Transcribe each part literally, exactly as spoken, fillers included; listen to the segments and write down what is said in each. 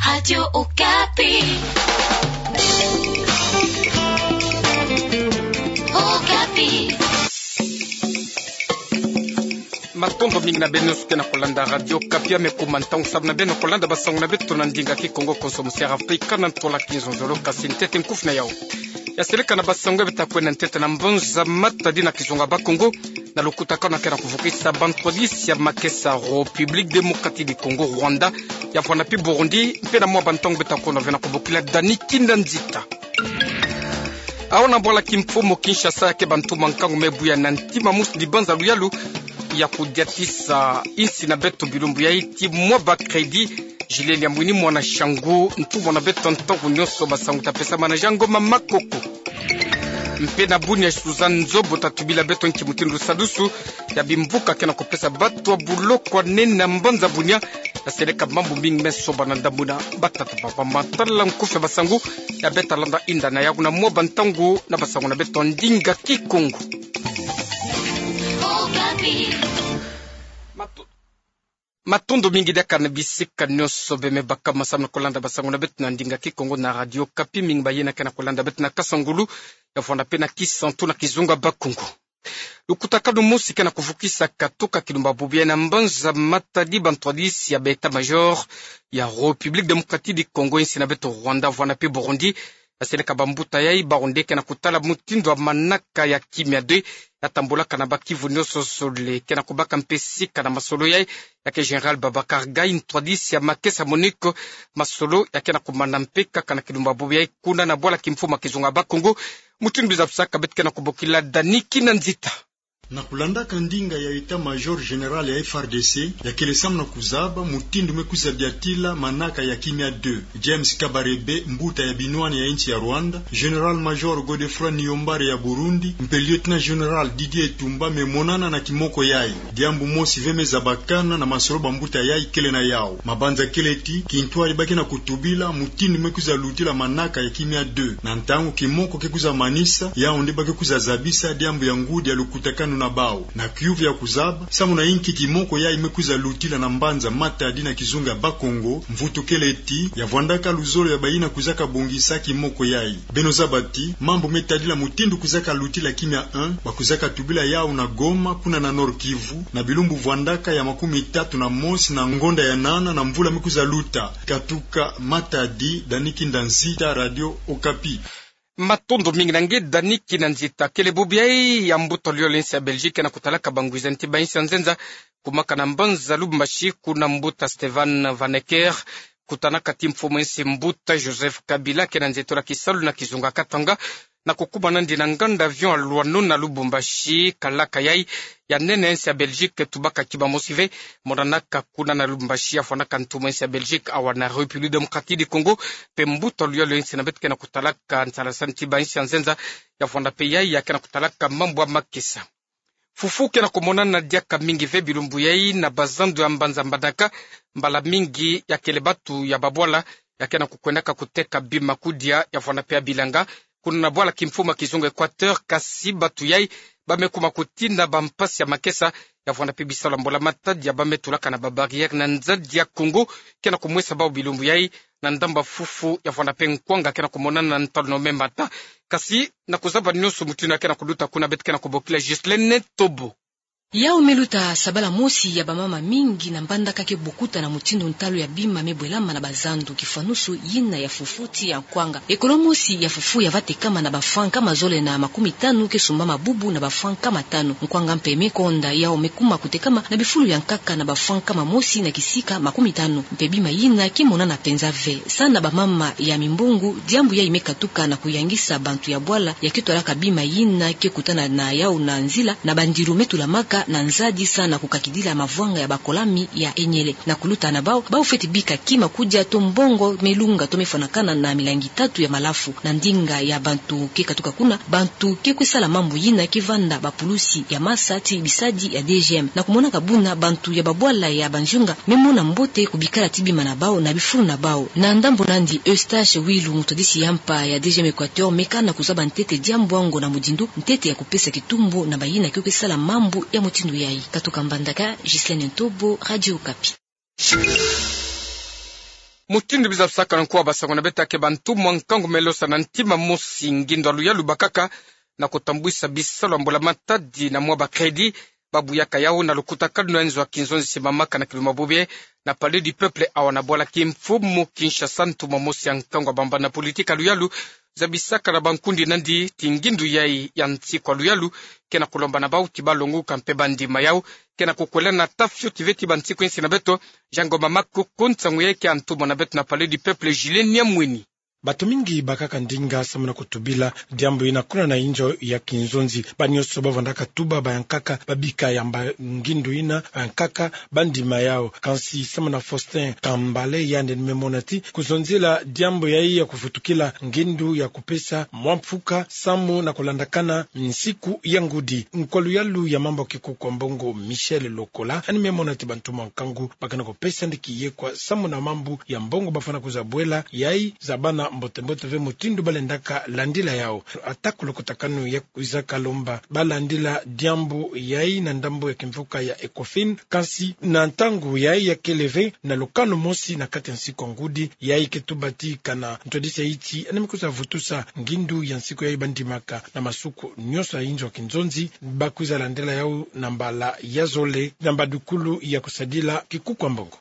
Radio Okapi. Okapi. Matondo mingi na beno nyonso ke na kolanda Radio Okapi. Ame kuma ntangu samu na beno kolanda basango na beto na ndinga Kikongo, konso musi Afrika na ntola kizonzolo. Kasi ntete nkufi na yau. Ya seleka na basango ya beta kwenda ntete na mbanza Matadi na kizunga Bakongo, na lukutakanu ke na kuvukisa bantwadisi ya makesa République Démocratique du Congo, Rwanda, ya Rwanda mpe Burundi, mpe na mwa bantangu beta kono ve na kubokila Dani Kinda Nzita. Awa na bwala kimfumu Kinshasa, ya ke bantu mankangu me buya na ntima musi dibanza luyalu ya kudiatisa insi na beto bilumbu yai ti mwa ba crédit. Julien Liamwini mwana Shangu, ntumwa na beto ntangu nyonso, basango ta pesama na Jean Ngoma Makoko. Mpe na Bunia, Suzanne Nzobo ta tubila beto nki mutindu lusadusu ya bimvuka ke na kupesa bato ya buloko ya nene na mbanza Bunia. Ya seleka mambu mingi me soba na ndambu na batata papa. Matala nkufi ya basango ya beta landa inda na yau na mwa bantangu na basango na beto ndinga Kikongo. Mato- Matondo mingi diaka na bisika nyonso be me baka masamu na kolanda basango na beto na ndinga Kikongo na Radio Okapi. Mingi bayina ke na kolanda beto na kasa ngulu ya Rwanda mpe na Kisantu na kizunga Bakongo. Lukutakanu mosi ke na kuvukisa katuka kilumba bubu yai na mbanza Matadi, bantwadisi ya ba état-major ya République Démocratique du Congo, insi na beto Rwanda, Rwanda mpe Burundi, ya seleka bambuta yai, bawu nde ke na kutala mutindu ya manaka ya kimia deux ya tambolaka na ba kivu nyonso zole. Ke na kubaka mpe sika na masolo yai ya ke Général Babacar Gaye, ntwadisi ya makesa MONUC. Masolo ya ke na kumana mpe kaka na kilumba bubu yai kuna na bwala kimfumu ya kizunga Bakongo. Mutindu bizabisaka beto ke na kubokila Dani Kinda Nzita. Na kulandaka ndinga ya état-major général ya F R D C, ya kele samu na kuzaba mutindu me kwiza diatila manaka ya kimia deux. James Kabarebe, mbuta ya binwani ya insi ya Rwanda, Général-major Godefroid Niyombare ya Burundi, mpe Lieutenant-général Didier Etumba me monana na kimoko yai. Diambu mosi ve me zabakana na masolo bambuta yai kele na yau. Mabanza kele ti, kintwadi ba ke na kutubila mutindu me kwiza lutila manaka ya kimia deux. Na ntangu kimoko ke kwiza manisa, yau nde ba ke kwiza zabisa diambu ya ngudi ya lukutakanu na bau. Na kiuvu ya kuzaba samu na inki kimoko yai me kwiza lutila na mbanza Matadi na kizunga Bakongo, mvutu kele ti, ya vwandaka luzolo ya bayina kwizaka bongisa kimoko yai. Beno zaba ti, mambu me tadila mutindu kwizaka lutila kimia un, ba kwizaka tubila yau na Goma, kuna na Nord-Kivu, na bilumbu vwandaka ya makumi tatu na mosi na ngonda ya nana na mvula me kwiza luta. Katuka Matadi, Dani Kinda Nzita, Radio Okapi. Matondo mingi na nge Dani Kinda Nzita. Kele bubu yai ya mbuta luyolo ya insi ya Belgique ke na kutalaka bangwiza nti ba insi ya nzenza, kumaka na mbanza Lubumbashi, kuna mbuta Stefan Van Ecker kutanaka ti mfumu ya insi mbuta Joseph Kabila ke na nzietolo ya kisalu na kizunga Katanga, na kukuma nandi na nganda avion ya Loano na Lubumbashi. Kalaka yai ya nene ya insi ya Belgique tubaka kima mosi ve, monanaka kuna na Lubumbashi, ya vwandaka ntumwa ya insi ya Belgique awa na République Démocratique du Congo, mpe mbuta luyolo ya insi na beto ke na kutalaka nsalasani ti ba insi ya nzenza, ya vwanda mpe yai ya ke na kutalaka mambu ya makesa. Fufu ke na kumonana diaka mingi ve bilumbu yai na bazandu ya mbanza Mbandaka. Mbala mingi ya kele batu ya babwala ya ke na kukwendaka kuteka bima kudia, ya vwanda mpe ya bilanga, kuna na bwala kimfumu ya kizunga Équateur. Kasi batu yai ba me kuma kutina bampasi ya makesa, ya vwanda mpe bisalu ya mbula matadi ya ba me tulaka na ba barrière na nzadi ya Congo, ke na kumwesa bau bilumbu yai na ndambu ya fufu, ya vwanda mpe nkwanga ke na kumonana na ntalu na ome mata. Kasi na kuzaba nyonso mutindu ya ke na kuluta kuna, beto ke na kubokila Ghislaine Ntobo. Yau me luta sabala mosi ya bamama mingi na Mbandaka ke bokuta na mutindu ntalu ya bima me bwelama na bazandu, kifwanusu yina ya fufu ti ya nkwanga. Ekolo mosi ya fufu ya va tekama na ba francs nkama zole na makumi tanu ke sumbama bubu na ba francs nkama tanu. Nkwanga mpe me konda, yau me kuma kutekama na bifulu ya nkaka na ba francs nkama mosi na kisika makumi tanu. Mpe bima yina ke monana mpenza ve. Sa na bamama ya mimbongo, diambu yai me katuka na kuyangisa bantu ya bwala ya ke twalaka bima yina ke kutana na yau na nzila na bandilu me tulamaka na nzadi, sa na kukakidila mavwanga ya bakolami ya enyele. Na kuluta na bau, bau fweti bika kima kudia to mbongo me lunga to me fwanakana na milangi tatu ya malafu. Na ndinga ya bantu ke katuka kuna, bantu ke kwe sala mambu yina ke vanda bapulusi ya masa ti bisadi ya D G M. Na kumonaka buna bantu ya babwala ya banzunga me mona mbote kubikala ti bima na bau na bifulu na bau. Na ndambu nandi, Eustache Wilu, mutadisi ya mpa ya D G M Équateur, me kana kuzaba ntete diambu yango na mudindu ntete ya kupesa kitumbu na bayina ke kwe sala mambu ya mutindu yai. Katuka Mbandaka, Ghislaine Ntobo, Radio Okapi. Mutindu biza kusakana nkwa basango na beto, ke bantu mwa nkangu me losa na ntima mosi ngindu ya luyalu bakaka na kutambwisa bisalu ya mbula matadi na mwa ba crédit, babuyaka yawu na lukutakanu ya nzo ya kinzonzi simamaka na kiluma bobe na Palais du Peuple awa na bwala kimfumu Kinshasa, ntumwa mosi ya nkangu ya bambana politique ya luyalu zabisaka na bankundi na ndi ti ngindu yayi ya nsiku ya luyalu ke na kulomba na bawu ti balonguka mpe bandima yawu ke na kukwela na ta fioti ve ti bansiku ya nsi na beto. Jean Ngoma Makoko, nsangu yayi ke ya ntumwa na beto na Palais du Peuple, Julien Nyamweni. Bato mingi bakaka ndinga samu na kutubila diambu yina kuna na inzo ya kinzonzi. Banyoso bavwandaka tuba bayankaka, babika yamba ngindu yina, bayankaka bandima yawu. Kansi samu na Faustin Kambale, yandi ni me mona ti kuzonzila diambu yayi ya kuvutukila ngindu ya kupesa mwa mfuka samu na kulandakana nsiku ya ngudi, nkwa luyalu ya mambu ya kikuku ya mbongo Michel Lokola ani me mona ti bantu mwa nkangu ba ke na kupesa nde kiyekwa samu na mambu ya mbongo bafwana kwiza bwela yayi zabana mbote-mbote ve mutindu balendaka landila yawu. Ata ko lukutakanu ya kwizaka lomba balandila diambu yayi na ndambu ya kimvuka ya Ecofin, kansi na ntangu yayi ya kele ve na lukanu mosi na kati ya nsiku ya ngudi, yayi ke tuba ti kana ntwadisi ya nsi ani me kwiza vutusa ngindu ya nsiku yayi bandimaka na masuku nyoso ya inzo ya kinzonzi, bakwiza landila yawu na mbala ya zole na mbadukulu ya kusadila kikuku ya mbongo.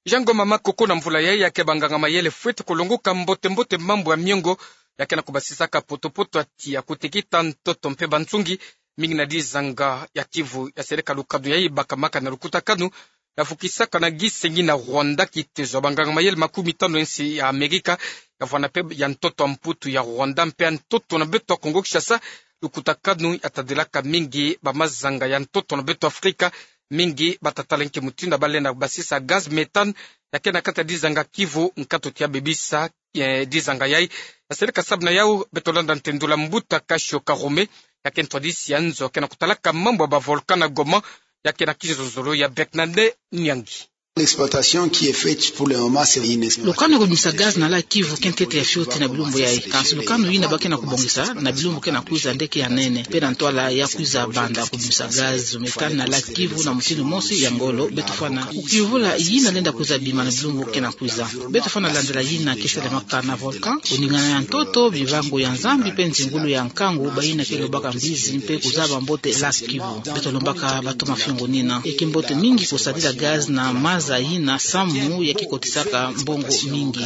Jean Ngoma Makoko, na mvula yayi ya ke banganga-mayele fwete kulonguka mbote-mbote mambu ya miongo ya ke na kubasisaka poto-poto ya tiya, kutekita ntoto mpe bansungi mingi na dizanga ya Kivu. Ya seleka lukanu yayi bakamaka na lukutakanu ya vukisaka na gisengi na Rwanda kitezo ya banganga-mayele makumi tanu ya nsi ya Amerika, ya vwanda mpe ya ntoto ya Mputu ya Rwanda mpe ya ntoto na beto ya Kongo Kinshasa. Lukutakanu ya tadilaka mingi bamazanga ya ntoto na beto Afrika, mingi bata tala nki mutindu balenda basisa gaz méthane ya ke na kati ya dizanga Kivu, nkatu ti ya bebisa, eh, dizanga yayi. Ya seleka sabu na yawu, beto landa ntendula Mbuta Kasho Karume, ya ke ntwadisi ya nzo ke na kutalaka mambu ya ba volcan na Goma, ya ke na kizozolo ya Bernadette Nyangi. L'exploitation qui est faite pour le moment, c'est inexploitable. Lukanu ya kubimisa gaz na lac Kivu ke ntete ya fioti na bilumbu yayi. Kansi lukanu yina ba ke na kubongisa na bilumbu ke na kwiza nde ke ya nene. Mpe na ntwala ya kwiza banda kubimisa gaz méthane na lac Kivu na mutindu mosi ya ngolo, beto fwana kukiyuvula yina lenda kwiza bima na bilumbu ke na kwiza. Beto fwana landila yina ke selemaka na volcan, kuningana ya ntoto, bibangu ya Nzambi mpe nzingulu ya nkangu, bayina ke lobaka mbizi mpe kuzaba mbote lac Kivu. Beto lombaka bato mafiongo nina. Ya ke mbote mingi kusadila gaz na maza yina samu ya ke kotisaka mbongo mingi.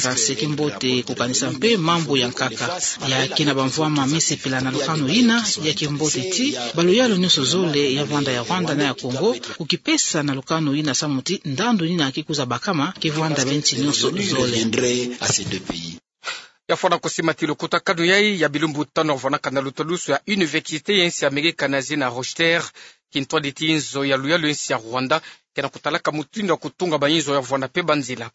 Kansi ya ke mbote kukanisa mpe mambu ya nkaka. Ya ke na bamvwama me sepela na lukanu yina, ya ke mbote ti baluyalu nyoso zole, ya vwanda ya Rwanda na ya Kongo, kukipesa na lukanu yina samu ti ndandu yina ke kwiza bakama ke vwanda bansi nyoso zole. Ya fwana kusima ti lukutakanu yayi ya bilumbu tanu ya vwanaka na lutalusu ya université ya nsi Amerika na zina Rochdale, kintwadi ti nzo ya luyalu ya nsi ya Rwanda ke na kutalaka mutindu ya kutunga bainzo ya vwanda mpe banzila.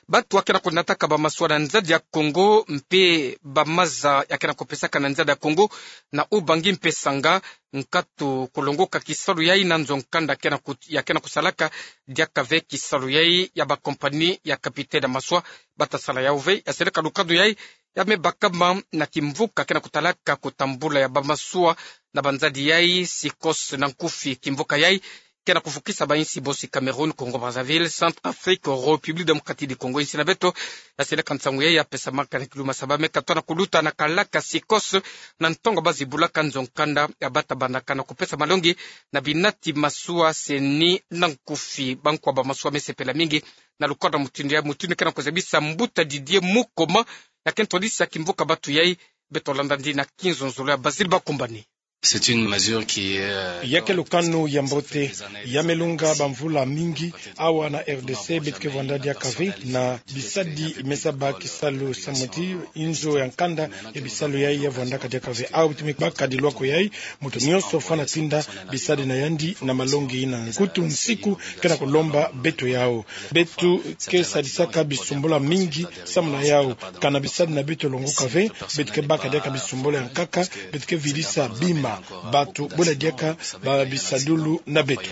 Bato ya ke na kunataka bamasuwa na nzadi ya Kongo mpe bamaza ya ke na kupesaka na nzadi ya Kongo na Ubangi mpe Sangha, nkatu kulongoka kisalu yayi na nzo-nkanda ke na ku-, ya ke na kusalaka diaka ve kisalu yayi ya ba compagnie ya capitaine ya masuwa bata sala yawu ve. Ya seleka lukanu yayi ya me bakama na kimvuka ke na kutalaka kutambula ya bamasuwa na banzadi yayi, Sycos na nkufi. Kimvuka yayi ke na kuvukisa bainsi bosi: Cameroun, Congo Brazzaville, Centrafrique, République Démocratique du Congo, insi na beto. Ya seleka nsangu yayi ya pesamaka na kiluma saba me katona kuluta na kalaka Sycos na ntongo bazibulaka nzo-nkanda ya bata bandaka na kupesa malongi na binati masuwa, seni na nkufi. Bankwa bamasuwa me sepela mingi na lukanu ya mutindu yayi, mutindu ke na kuzabisa Mbuta Didier Mukoma, ya ke ntwadisi ya kimvuka bato yayi. Beto landa ndi na kinzonzolo ya Basile Bakumbani. C'est une mesure qui est, euh, ya ke lukanu ya mbote, ya me lunga bamvula mingi. Awa na R D C beto ke vwanda diaka ve na bisadi me saba kisalu samu ti inzo ya nkanda ya bisalu yayi ya vwandaka diaka ve. Awa beto me baka dilwako yayi, moto nyoso fwana tinda bisadi na yandi na malongi yina. Nkutu nsiku ke na kulomba beto yawu. Beto ke sadisaka bisumbula mingi samu na yawu. Kana bisadi na beto longoka ve, beto ke baka diaka bisumbula ya nkaka, beto ke vidisa bima, bato bwela diaka babisadulu na beto.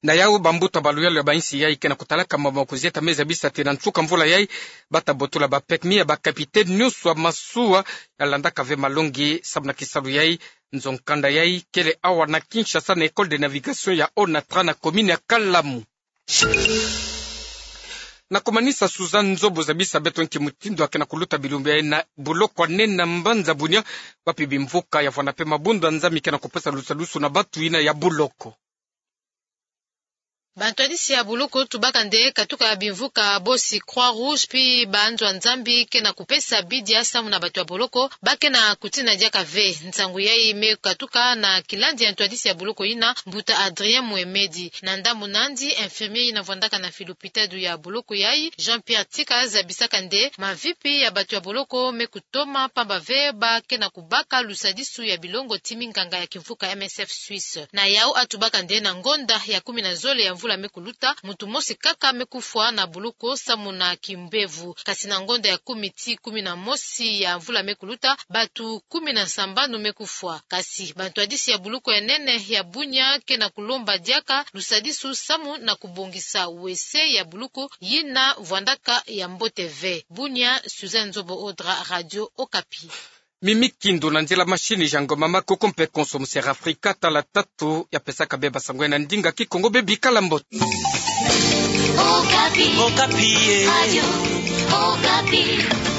Na yawu, bambuta baluyalu ya bainsi yayi ke na kutalaka mambu ya kuzieta me zabisa ti na nsuka mvula yayi bata botola ba permis ya ba capitaine nyoso ya masuwa ya landaka ve malongi samu na kisalu yayi. Nzo-nkanda yayi kele awa na Kinshasa na École de navigation ya Onatra na commune ya Kalamu. Na kumanisa Suzanne Nzobo zabisa beto nki mutindu ya ke na kuluta bilumbu yayi na buloko ya nene na mbanza Bunia, wapi bimvuka ya vwanda mpe mabundu ya nzambi ke na kupesa lusadusu na batu yina ya buloko. Bantwadisi ya buloko tubaka nde katuka bimvuka bosi Croix Rouge pi banzo ya nzambi ke na kupesa bidia samu na batu ya boloko ba ke na kutina diaka ve. Nsangu yayi me katuka na kilandi ya ntwadisi ya buloko yina, mbuta Adrien Mohamed. Na ndambu nandi, infirmier yina vwandaka na filupitadu ya buloko yayi, Jean-Pierre Tika, zabisaka nde mavipi ya batu ya boloko me kutoma pamba ve ba ke na kubaka lusadisu ya bilongo ti minganga ya kimvuka M S F Suisse. Na yau atubaka nde na ngonda ya kumi na zole ya mvula me kuluta, muntu mosi kaka me kufwa na buloko samu na kimbevu. Kasi na ngonda ya kumi ti kumi na mosi ya mvula me kuluta, batu kumi na sambanu me kufwa. Kasi bantwadisi ya buloko ya nene ya Bunia ke na kulomba diaka lusadisu samu na kubongisa wese ya buloko yina vwandaka ya mbote ve. Bunia, Suzanne Nzobo Odra, Radio Okapi. Mimi Kindo na nzila mashini, Jean Ngoma Makoko mpe konso mu Sierra Africa, tala tatu ya pesaka bie basango na ndinga Kikongo. Bie bikala mbote. Okapi. Okapi, eh. Radio Okapi.